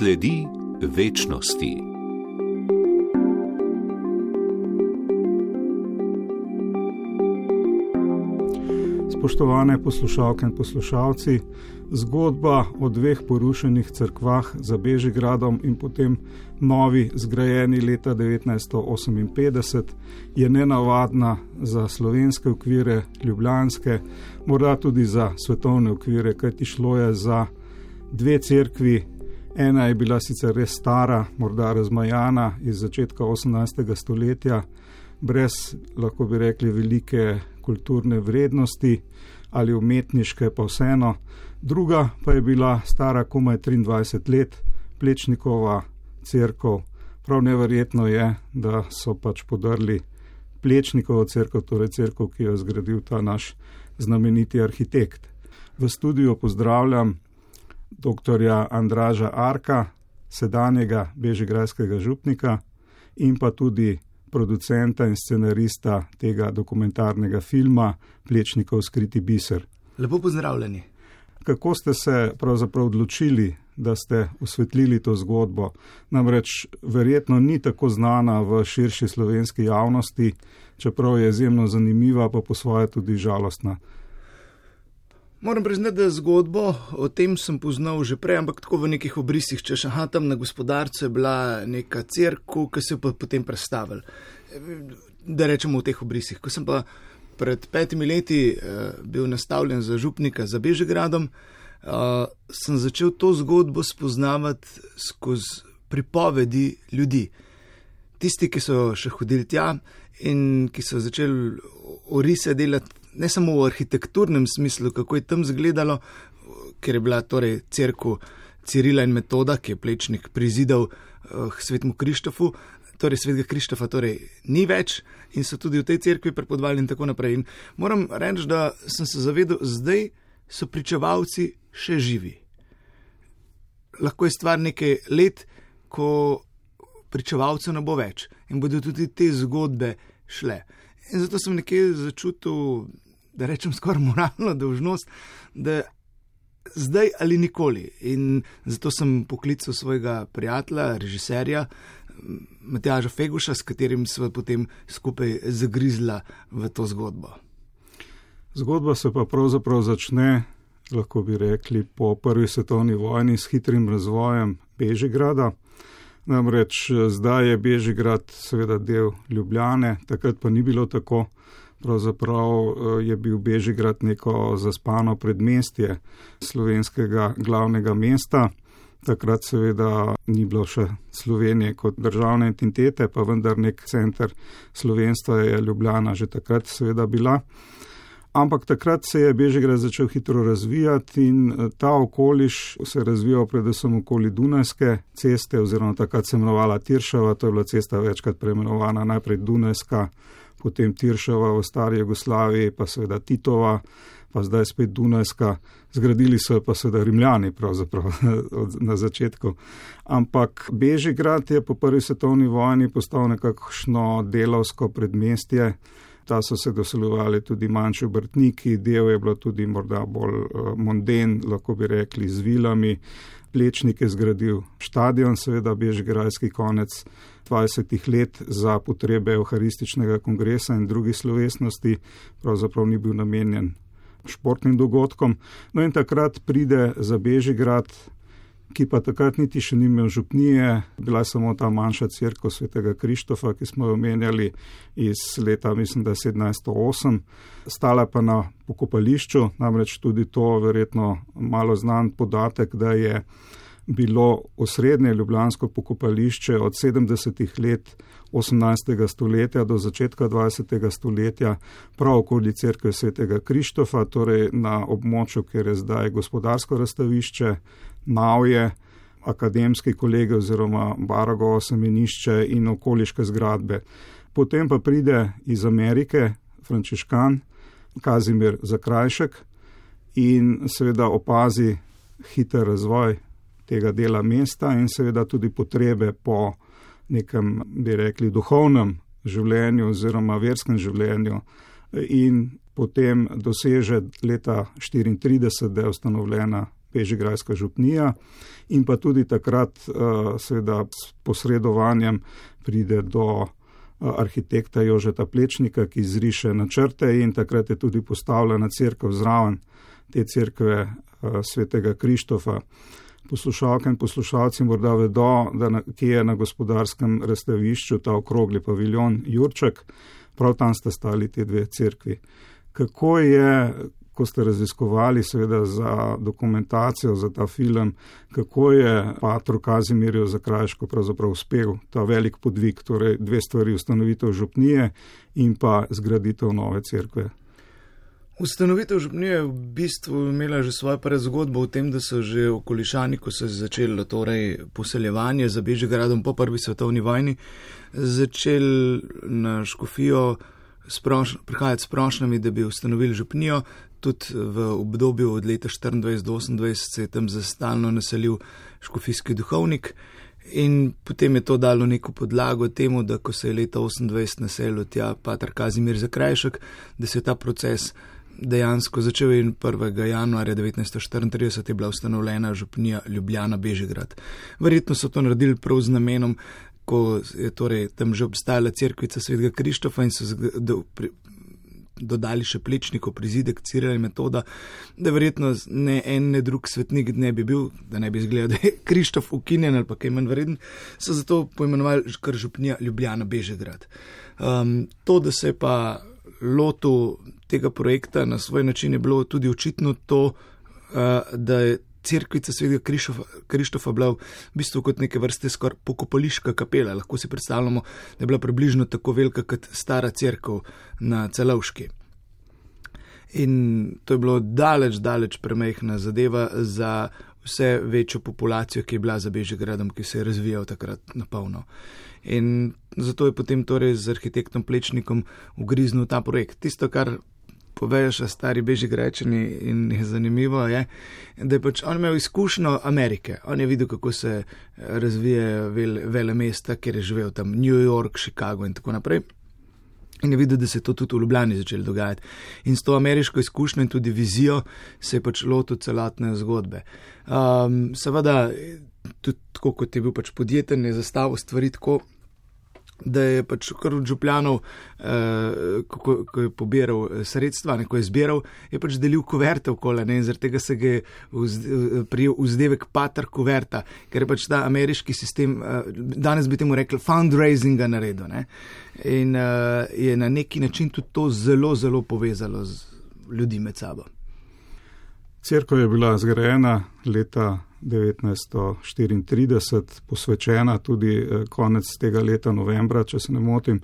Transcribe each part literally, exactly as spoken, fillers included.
Sledi večnosti. Spoštovane poslušalke in poslušalci, zgodba o dveh porušenih cerkvah za Bežigradom in potem novi zgrajeni leta devetnajststo oseminpetdeset je nenavadna za slovenske okvire, ljubljanske, morda tudi za svetovne okvire, kajti šlo je za dve cerkvi. Ena je bila sicer res stara, morda razmajana iz začetka osemnajstega stoletja, brez, lahko bi rekli, velike kulturne vrednosti ali umetniške, pa vseeno. Druga pa je bila stara komaj triindvajset let, Plečnikova cerkev. Prav neverjetno je, da so pač podrli Plečnikovo cerkev, torej cerkev, ki jo je zgradil ta naš znameniti arhitekt. V studiu pozdravljam doktorja Andraža Arka, sedanjega bežigradskega župnika in pa tudi producenta in scenarista tega dokumentarnega filma Plečnikov skriti biser. Lepo pozdravljeni. Kako ste se pravzaprav odločili, da ste osvetlili to zgodbo? Namreč verjetno ni tako znana v širši slovenski javnosti, čeprav je izjemno zanimiva, pa po svoje tudi žalostna. Moram priznati, da zgodbo o tem sem poznal že prej, ampak tako v nekih obrisih, češ, aha, tam na Gospodarcu je bila neka cerkev, ki se je pa potem predstavil. Da rečemo v teh obrisih. Ko sem pa pred petimi leti uh, bil nastavljen za župnika za Bežigradom, uh, sem začel to zgodbo spoznavati skozi pripovedi ljudi. Tisti, ki so še hodili tja in ki so začeli orise delati ne samo v arhitekturnem smislu, kako je tam izgledalo, ker je bila torej cerkev Cirila in Metoda, ki je Plečnik prizidal uh, svetemu Krištofu, torej svetega Krištofa torej ni več in so tudi v tej cerkvi prepodvali in tako naprej. In moram reči, da sem se zavedal, zdaj so pričevalci še živi. Lahko je stvar nekaj let, ko pričevalcev ne bo več in bodo tudi te zgodbe šle. In zato sem nekje začutil, da rečem skoraj moralno dolžnost, da zdaj ali nikoli. In zato sem poklical svojega prijatelja, režiserja, Matjaža Feguša, s katerim sva potem skupaj zagrizla v to zgodbo. Zgodba se pa pravzaprav začne, lahko bi rekli, po prvi svetovni vojni s hitrim razvojem Bežigrada. Namreč zdaj je Bežigrad seveda del Ljubljane, takrat pa ni bilo tako. Pravzaprav je bil Bežigrad neko zaspano predmestje slovenskega glavnega mesta. Takrat seveda ni bilo še Slovenije kot državne entitete, pa vendar nek center slovenstva je Ljubljana že takrat seveda bila. Ampak takrat se je Bežigrad začel hitro razvijati in ta okoliš se je razvijal predvsem okoli Dunajske ceste, oziroma takrat se imenovala Tiršova, to je bila cesta večkrat preimenovana, najprej Dunajska, potem Tiršova v stari Jugoslaviji, pa seveda Titova, pa zdaj spet Dunajska. Zgradili so pa seveda Rimljani pravzaprav na začetku. Ampak Bežigrad je po prvi svetovni vojni postal nekakšno delavsko predmestje. Ta so se doseljevali tudi manjši obrtniki, del je bilo tudi morda bolj monden, lahko bi rekli, z vilami. Plečnik je zgradil štadion, seveda bežigradski konec dvajsetih let za potrebe Evharističnega kongresa in drugih slovesnosti, pravzaprav ni bil namenjen športnim dogodkom. No in takrat pride za Bežigrad, ki pa takrat niti še ni imel župnije, bila samo ta manjša cerkev svetega Krištofa, ki smo jo omenjali iz leta, mislim, da sedemnajststo osem, stala pa na pokopališču, namreč tudi to verjetno malo znan podatek, da je bilo osrednje ljubljansko pokopališče od sedemdesetih let osemnajstega stoletja do začetka dvajsetega stoletja prav okoli cerkve svetega Krištofa, torej na območju, kjer je zdaj gospodarsko razstavišče, Navje, akademski kolegi oziroma Baragovo semenišče in okoliške zgradbe. Potem pa pride iz Amerike frančiškan Kazimir Zakrajšek in seveda opazi hiter razvoj tega dela mesta in seveda tudi potrebe po nekem, bi rekli, duhovnem življenju oziroma verskem življenju in potem doseže leta štiriintrideset, da je ustanovljena bežigrajska župnija in pa tudi takrat seveda s posredovanjem pride do arhitekta Jožeta Plečnika, ki izriše načrte in takrat je tudi postavljena cerkev zraven te cerkve svetega Krištofa. Poslušalke in poslušalci morda vedo, da na, kje je na Gospodarskem razstavišču ta okrogli paviljon Jurček, prav tam sta stali te dve cerkvi. Kako je, ko ste raziskovali seveda za dokumentacijo, za ta film, kako je patru Kazimirju Zakrajšku pravzaprav uspel ta velik podvig, torej dve stvari, ustanovitev župnije in pa zgraditev nove cerkve? Ustanovitev župnije je v bistvu imela že svojo predzgodbo v tem, da so že okolišani, ko se je začelo torej poseljevanje za Bežigradom po prvi svetovni vojni, začeli na škofijo sproš, prihajati s prošnjami, da bi ustanovili župnijo. Tudi v obdobju od leta štiriindvajset do osemindvajset se je tam zastalno naselil škofijski duhovnik in potem je to dalo neko podlago temu, da ko se je leta osemindvajset naselil tja pater Kazimir Zakrajšek, da se je ta proces dejansko začel in prvega januarja devetnajststo štiriintrideset je bila ustanovljena župnija Ljubljana Bežigrad. Verjetno so to naredili prav z namenom, ko je torej tam že obstajala cerkvica svetega Krištofa in so do, pri, dodali še Plečnikov prizidek Cirila in Metoda, da verjetno ne en, ne drug svetnik ne bi bil, da ne bi izgledal, da je Krištof ukinjen ali pa kaj manj vreden, so zato poimenovali kar župnija Ljubljana Bežigrad. Um, to, da se je pa lotu tega projekta na svoj način je bilo tudi očitno to, uh, da je cerkvica svetega Krištofa, Krištofa bila v bistvu kot neke vrste skoraj pokopališka kapela. Lahko si predstavljamo, da je bila približno tako velika kot stara cerkev na Celovški. In to je bilo daleč, daleč premajhna zadeva za vse večjo populacijo, ki je bila za Bežigradom, ki se je razvijal takrat na polno. In zato je potem torej z arhitektom Plečnikom ugriznil ta projekt. Tisto, kar povejo še stari Bežigrajčani in je zanimivo, je, da je pač on imel izkušnjo Amerike. On je videl, kako se razvije vele, vele mesta, kjer je živel tam New York, Chicago in tako naprej. In je videl, da se je to tudi v Ljubljani začelo dogajati. In s to ameriško izkušnjo in tudi vizijo se je pač lotil celotne zgodbe. Um, seveda, tudi tako, kot je bil pač podjeten, je zastavil stvari tako, da je pač kar od župljanov, eh, ko, ko je pobiral sredstva, ne, ko je zbiral, je pač delil kuverte okoli, ne, in zaradi tega se ga je vz, prijel vzdevek pater kuverta, ker je pač ta ameriški sistem, eh, danes bi temu rekli fundraisinga naredil, ne, in eh, je na neki način tudi to zelo, zelo povezalo z ljudi med sabo. Cerkev je bila zgrajena leta devetnajststo štiriintrideset, posvečena tudi konec tega leta novembra, če se ne motim.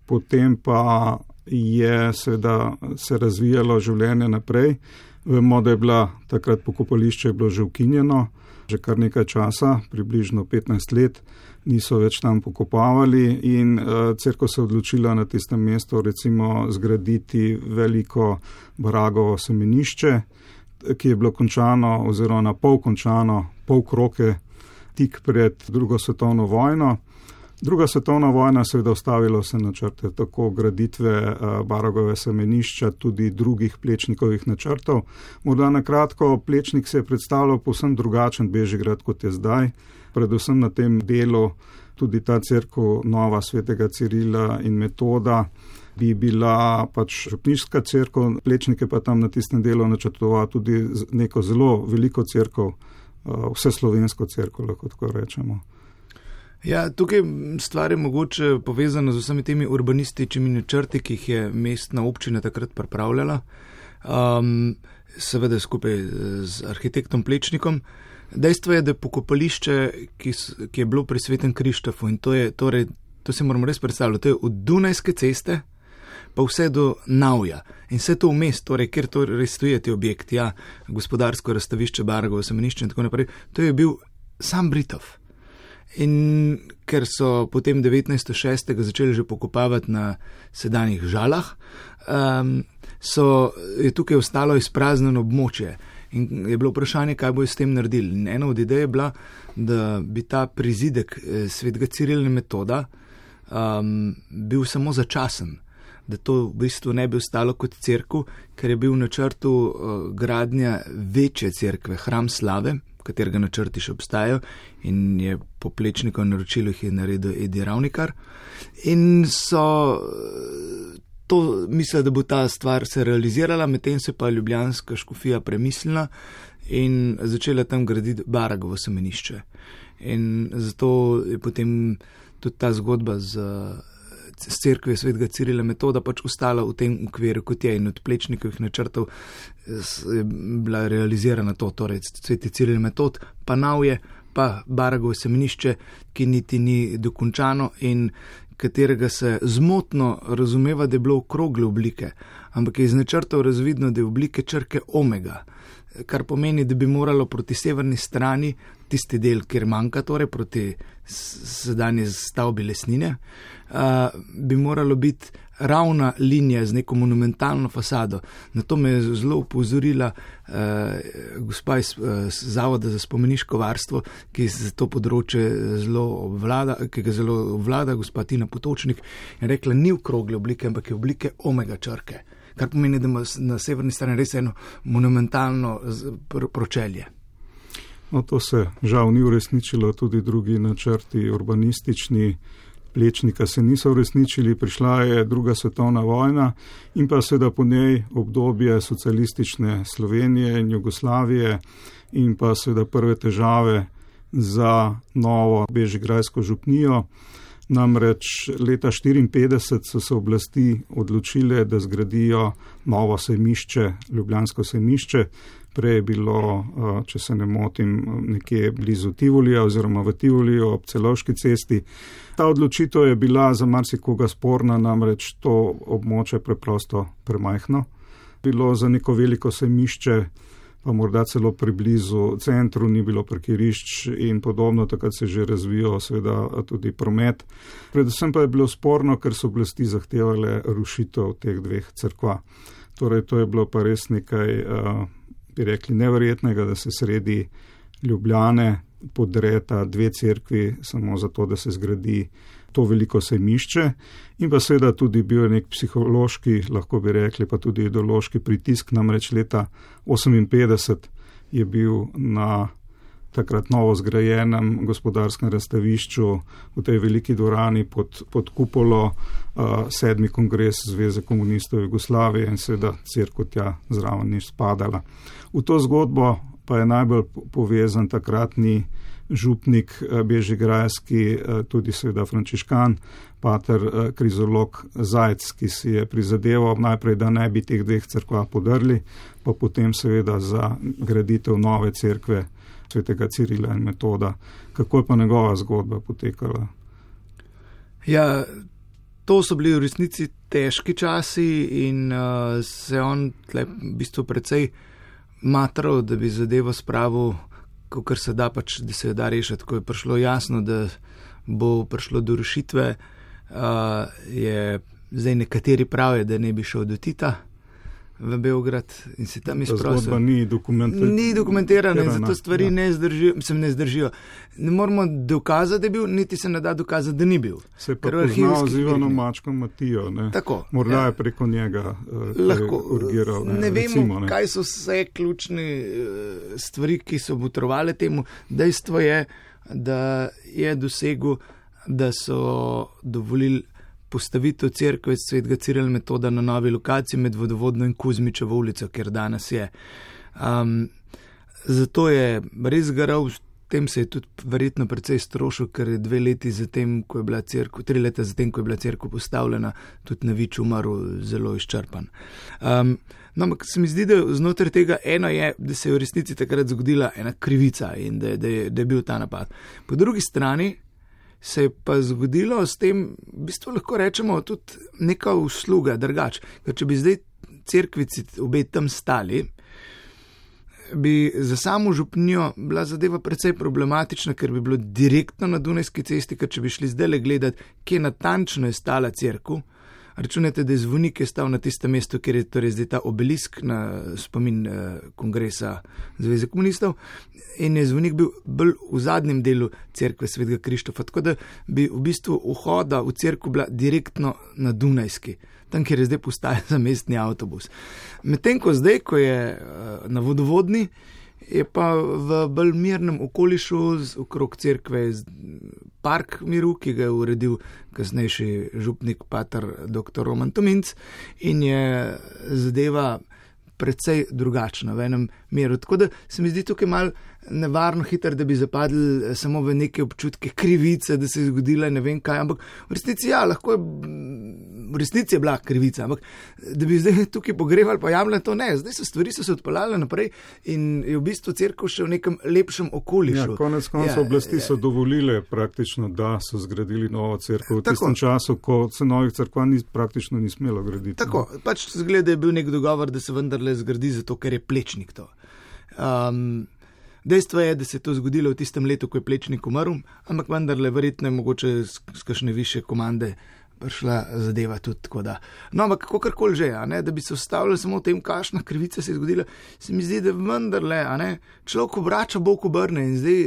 Potem pa je seveda se razvijalo življenje naprej. Vemo, da je bila takrat pokopališče je bilo že ukinjeno, že kar nekaj časa, približno petnajst let, niso več tam pokopavali in uh, cerkev se je odločila na tistem mestu recimo zgraditi veliko Baragovo semenišče, ki je bilo končano oziroma na pol končano, pol kroke tik pred drugo svetovno vojno. Druga svetovna vojna seveda ustavila vse načrte, tako graditve Baragove semenišča, tudi drugih Plečnikovih načrtov. Morda na kratko, Plečnik se je predstavljal povsem drugačen Bežigrad, kot je zdaj. Predvsem na tem delu tudi ta cerkev nova svetega Cirila in Metoda bi bila pač župniška cerkev, Plečnik je pa tam na tistem delu načrtoval tudi neko zelo veliko cerkev, vseslovensko cerkev, lahko tako rečemo. Ja, tukaj stvar je mogoče povezana z vsemi temi urbanističnimi načrti, ki jih je mestna občina takrat pripravljala, um, seveda skupaj z arhitektom Plečnikom. Dejstvo je, da je pokopališče, ki, ki je bilo pri svetem Krištofu in to je, torej, to se moramo res predstavljati, to je od Dunajske ceste pa vse do Navja. In vse to vmes, torej, kjer to res stoji ti objekti, ja, gospodarsko razstavišče, Baragovo semenišče in tako naprej, to je bil sam Britov. In ker so potem devetnajststo šestega začeli že pokopavati na sedanjih Žalah, um, so, je tukaj ostalo izpraznjeno območje. In je bilo vprašanje, kaj bo s tem naredili. In ena od idej je bila, da bi ta prizidek svetega Cirila in Metoda um, bil samo začasen, da to v bistvu ne bi ostalo kot cerkev, ker je bil v načrtu uh, gradnja večje cerkve, hram slave, katerega načrti še obstajajo in je po Plečnikov naročilu jih je naredil Edi Ravnikar. In so to mislili, da bo ta stvar se realizirala, medtem se pa ljubljanska škofija premislila in začela tam graditi Baragovo semenišče. In zato je potem tudi ta zgodba z, z cerkvijo svetega Cirila Metoda pač ostala v tem okviru, kot je, in od Plečnikovih načrtov je bila realizirana to, torej sveti Ciril Metod, pa Navje, pa Baragovo semenišče, ki niti ni dokončano in katerega se zmotno razumeva, da je bilo okrogle oblike, ampak je iz načrtov razvidno, da je oblike črke omega, kar pomeni, da bi moralo proti severni strani, tisti del, kjer manjka, torej proti sedanji stavbi Lesnine, uh, bi moralo biti ravna linija z neko monumentalno fasado. Na to me je zelo upozorila uh, gospa iz uh, Zavoda za spomeniško varstvo, ki za to področje zelo obvlada, ki ga zelo obvlada, gospa Tina Potočnik, in rekla, ni okrogle oblike, ampak je oblike omega črke, kar pomeni, da ima na severni strani res eno monumentalno pročelje. No, to se žal ni uresničilo, tudi drugi načrti urbanistični Plečnika se niso uresničili, prišla je druga svetovna vojna in pa seveda po njej obdobje socialistične Slovenije in Jugoslavije in pa seveda prve težave za novo bežigrajsko župnijo. Namreč leta štiriinpetdeset so se oblasti odločile, da zgradijo novo sejmišče, ljubljansko sejmišče. Prej je bilo, če se ne motim, nekje blizu Tivolija oziroma v Tivoliju ob Celovški cesti. Ta odločitev je bila za marsikoga sporna, namreč to območje preprosto premajhno. Bilo za neko veliko sejmišče, pa morda celo priblizu centru, ni bilo parkirišč in podobno, takrat se že razvijal seveda tudi promet. Predvsem pa je bilo sporno, ker so oblasti zahtevale rušitev teh dveh cerkva. Torej, to je bilo pa res nekaj, bi rekli, neverjetnega, da se sredi Ljubljane podreta dve cerkvi samo zato, da se zgradi to veliko sejmišče in pa seveda tudi bil nek psihološki, lahko bi rekli, pa tudi ideološki pritisk, namreč leta oseminpetdeset je bil na takrat novo zgrajenem gospodarskem razstavišču v tej veliki dvorani pod, pod kupolo uh, sedmi kongres Zveze komunistov Jugoslavije in seveda cerkev tja zraven ni spadala. V to zgodbo pa je najbolj povezan takratni župnik bežigrajski, tudi seveda frančiškan, pater krizolog Zajc, ki si je prizadeval najprej, da ne bi teh dveh cerkva podrli, pa potem seveda za graditev nove cerkve svetega Cirila in Metoda. Kako je pa njegova zgodba potekala? Ja, to so bili v resnici težki časi in uh, se on tle v bistvu precej matral, da bi zadevo spravil, kakor se da pač, da se da rešiti. Ko je prišlo jasno, da bo prišlo do rešitve, uh, je zdaj nekateri pravijo, da ne bi šel do Tita v Beograd in se tam izprosil. Zgodba ni dokumentirana. Ni dokumentirana in zato stvari ja. ne, zdržijo, se ne zdržijo. Ne moramo dokazati, da je bil, niti se ne da dokazati, da ni bil. Se pa poznal z Ivanom Mačkom Matijo. Ne? Tako. Morda ja. je preko njega uh, lahko urgiral. Ne, ne recimo, vemo, ne. kaj so vse ključne uh, stvari, ki so botrovale temu. Dejstvo je, da je dosegel, da so dovolili postavitev cerkve svetega Cirila Metoda na novi lokaciji med Vodovodno in Kuzmičevo ulico, kjer danes je. Um, zato je res garal, tem se je tudi verjetno precej strošil, ker je dve leti zatem, ko je bila cerkev, tri leta zatem, ko je bila cerkev postavljena, tudi na Vič umrl zelo izčrpan. Um, no, ampak se mi zdi, da znotraj tega eno je, da se je v resnici takrat zgodila ena krivica in da, da, je, da je bil ta napad. Po drugi strani se je pa zgodilo s tem, v bistvu lahko rečemo, tudi neka usluga, drugač. Ker če bi zdaj cerkvici obe tam stali, bi za samo župnijo bila zadeva precej problematična, ker bi bilo direktno na Dunajski cesti, ker če bi šli zdaj le gledati, kje natančno je stala cerkev, računajte, da je zvonik je stal na tistem mestu, kjer je torej zdaj ta obelisk na spomin eh, kongresa Zveze komunistov in je zvonik bil bolj v zadnjem delu cerkve svetega Krištofa, tako da bi v bistvu vhoda v cerkev bila direktno na Dunajski. tam, kjer je zdaj postaja za mestni avtobus. Medtem ko zdaj, ko je na vodovodni, je pa v bolj mirnem okolišu okrog cerkve park miru, ki ga je uredil kasnejši župnik pater doktor Roman Tominc in je zadeva precej drugačna v enem miru. Tako da se mi zdi tukaj malo nevarno hitro, da bi zapadli samo v neke občutke krivice, da se je zgodila ne vem kaj, ampak v resnici ja, lahko je, v resnici je bila krivica, ampak da bi zdaj tukaj pogrevali pa jamljali, to ne, zdaj so stvari so se odpeljale naprej in je v bistvu cerkev še v nekem lepšem okolišu. Ja, konec koncev ja, oblasti so dovolile praktično, da so zgradili novo cerkev v tako, tistem času, ko se novih cerkva ni, praktično ni smelo graditi. Tako, no. Pač zgleda je bil nek dogovor, da se vendarle zgradi zato, ker je Plečnik to. Um, Dejstvo je, da se je to zgodilo v tistem letu, ko je Plečnik umrl, ampak vendarle verjetno je mogoče z kakšne više komande prišla zadeva tudi tako da. No, ampak kakorkoli že, a ne, da bi se ustavljali samo v tem, kakšna krivica se je zgodila, se mi zdi, da vendarle, a ne, človek obrača, Bog obrne in zdaj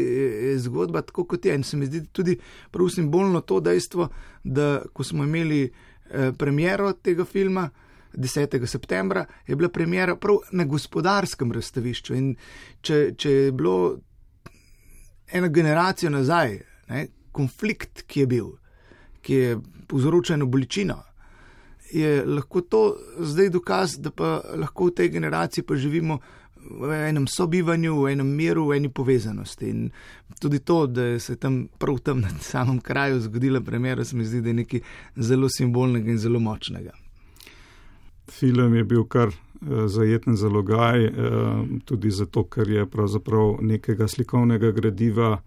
je zgodba tako kot je in se mi zdi tudi prav simbolno to dejstvo, da ko smo imeli eh, premiero tega filma, desetega septembra, je bila premjera prav na gospodarskem razstavišču in če, če je bilo eno generacijo nazaj, ne, konflikt, ki je bil, ki je povzročil eno bolečino, je lahko to zdaj dokaz, da pa lahko v tej generaciji pa živimo v enem sobivanju, v enem miru, v eni povezanosti in tudi to, da se tam prav tam na samem kraju zgodila premjera, se mi zdi, da je nekaj zelo simbolnega in zelo močnega. Film je bil kar uh, zajeten zalogaj, uh, tudi zato, ker je pravzaprav nekega slikovnega gradiva,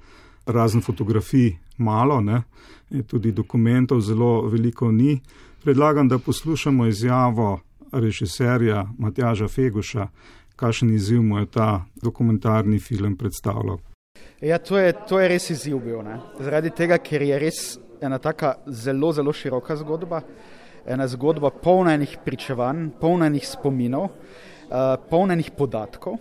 razen fotografij, malo, ne? Tudi dokumentov zelo veliko ni. Predlagam, da poslušamo izjavo režiserja Matjaža Feguša, kakšen izziv mu je ta dokumentarni film predstavljal. Ja, to je, to je res izziv bil, ne? Zaradi tega, ker je res ena taka zelo, zelo široka zgodba, ena zgodba polna enih pričevanj, polna enih spominov, uh, polna enih podatkov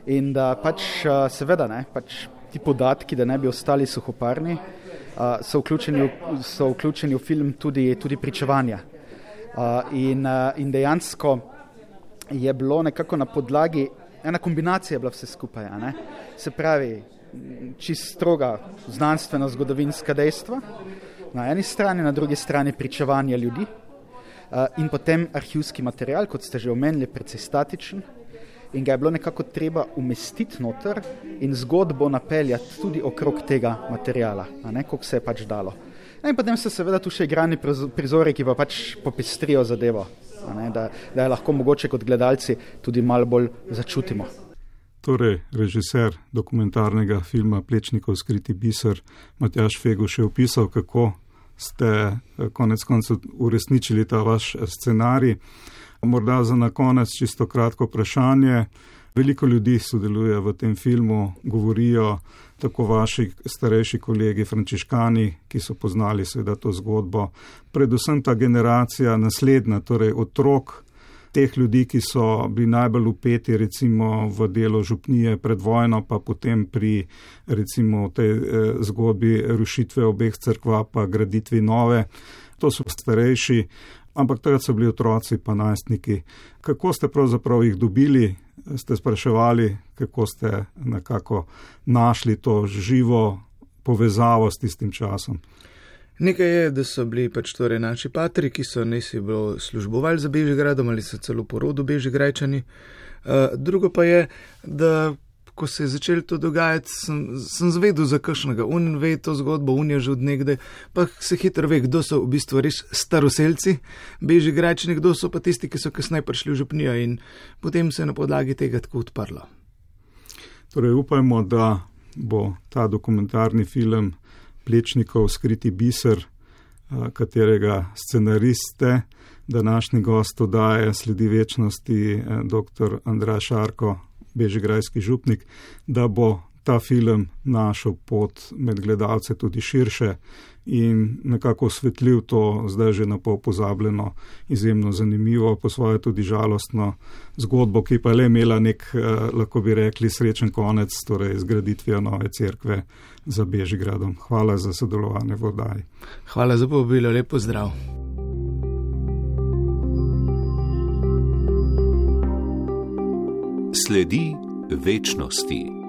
in da pač uh, seveda ne, pač ti podatki, da ne bi ostali suhoparni, uh, so, vključeni v, so vključeni v film tudi, tudi pričevanja. Uh, in, uh, in dejansko je bilo nekako na podlagi, ena kombinacija je bila vse skupaj, a ne? Se pravi, čist stroga znanstveno-zgodovinska dejstva, na eni strani, na drugi strani pričevanja ljudi, Uh, in potem arhivski material, kot ste že omenili, precej statičen in ga je bilo nekako treba umestiti noter in zgodbo napeljati tudi okrog tega materijala, a ne, koliko se je pač dalo. In potem so seveda tu še igrani prizori, ki pa pač popestrijo zadevo, a ne, da, da je lahko mogoče kot gledalci tudi malo bolj začutimo. Torej, režiser dokumentarnega filma Plečnikov skriti biser Matjaž Feguš je opisal, kako ste konec koncev uresničili ta vaš scenarij. Morda za na konec čisto kratko vprašanje. Veliko ljudi sodeluje v tem filmu, govorijo tako vaši starejši kolegi frančiškani, ki so poznali seveda to zgodbo. Predvsem ta generacija naslednja, torej otrok teh ljudi, ki so bili najbolj upeti recimo v delo župnije pred vojno, pa potem pri recimo tej eh, zgodbi rušitve obeh cerkva pa graditvi nove. To so starejši, ampak takrat so bili otroci pa najstniki. Kako ste pravzaprav jih dobili, ste spraševali, kako ste nekako našli to živo povezavo s tistim časom? Nekaj je, da so bili pač torej naši patri, ki so nesi bilo službovali za Bežigradom ali so celo po rodu Bežigrajčani. Uh, drugo pa je, da ko se je začelo to dogajati, sem, sem zvedel za kakšnega. Un ve to zgodbo, un je že od nekdaj, pa se hitro ve, kdo so v bistvu res staroselci Bežigrajčani, kdo so pa tisti, ki so kasneje prišli v župnijo in potem se je na podlagi tega tako odprlo. Torej upajmo, da bo ta dokumentarni film Plečnikov skriti biser, katerega scenariste, današnji gost oddaje Sledi večnosti, dr. Andraž Šarko, bežigrajski župnik, da bo ta film našel pot med gledalce tudi širše in nekako osvetljiv to zdaj že na pol pozabljeno, izjemno zanimivo, po svoje tudi žalostno zgodbo, ki pa je le imela nek, lahko bi rekli, srečen konec, torej zgraditvijo nove cerkve za Bežigradom. Hvala za sodelovanje v oddaji. Hvala za povabilo, lep pozdrav. Sledi večnosti.